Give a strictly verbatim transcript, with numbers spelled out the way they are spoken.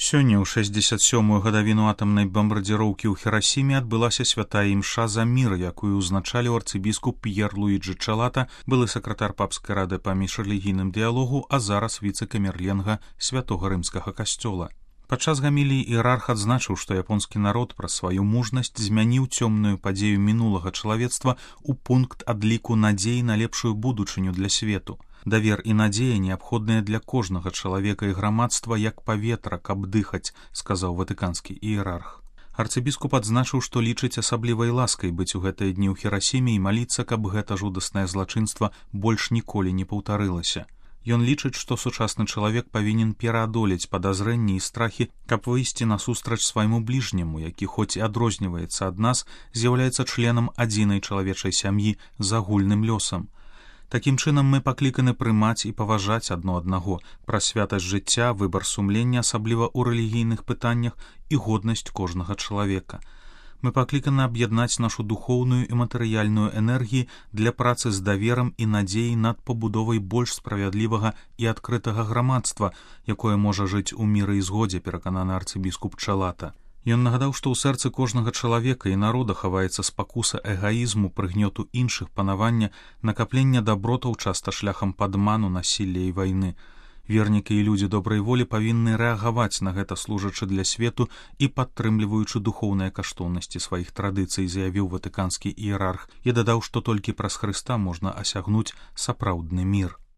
Сёння ў шэсцьдзесят сёмую гадавіну атамнай бамбардзіроўкі ў Хірасіме адбылася святая імша за мір, якую ўзначаліў арцыбіскуп П'ер Луіджы Чалата, былы сакратар папскай рады па міжрэлігійным дыялогу, а зараз віцэ-камерленга святога рымскага касцёла. Падчас гаміліі іерарх адзначыў, што японскі народ праз сваю мужнасць змяніў цёмную падзею мінулага чалавецтва ў пункт адліку надзеі на лепшую будучыню для свету. Давер і надзея неабходныя для кожнага чалавека і грамадства як паветра, каб дыхаць, сказаў ватыканскі іерарх. Арцыбіскуп адзначыў, што лічыць асаблівай ласкай быць у гэтыя дні ў Хірасіме і маліцца, каб гэта жудаснае злачынства больш ніколі не паўтарылася. Ён лічыць, што сучасны чалавек павінен пераадолець падазрэнні і страхі, каб выйсці насустрач свайму бліжняму, які хоць і адрозніваецца ад нас, з'яўляецца членам адзінай чалавечай сям'і з агульным лёсам. Такім чынам мы пакліканы прымаць і паважаць адно аднаго, пра святасць жыцця, выбар сумлення, асабліва ў рэлігійных пытаннях, і годнасць кожнага чалавека. Мы пакліканы аб'яднаць нашу духоўную і матэрыяльную энергіі для працы з даверам і надзеяй над пабудовай больш справядлівага і адкрытага грамадства, якое можа жыць у міры і згодзе, перакананы арцыбіскуп Чалата. Ён нагадаў, што ў сэрцы кожнага чалавека і народа хаваецца спакуса эгаізму, прыгнёту іншых, панавання, накаплення дабротаў часта шляхам падману, насілля і вайны. Вернікі і людзі добрай волі павінны рэагаваць на гэта, служачы для свету і падтрымліваючы духоўныя каштоўнасці сваіх традыцый, заявіў ватыканскі іерарх і дадаў, што толькі праз Хрыста можна асягнуць сапраўдны мір.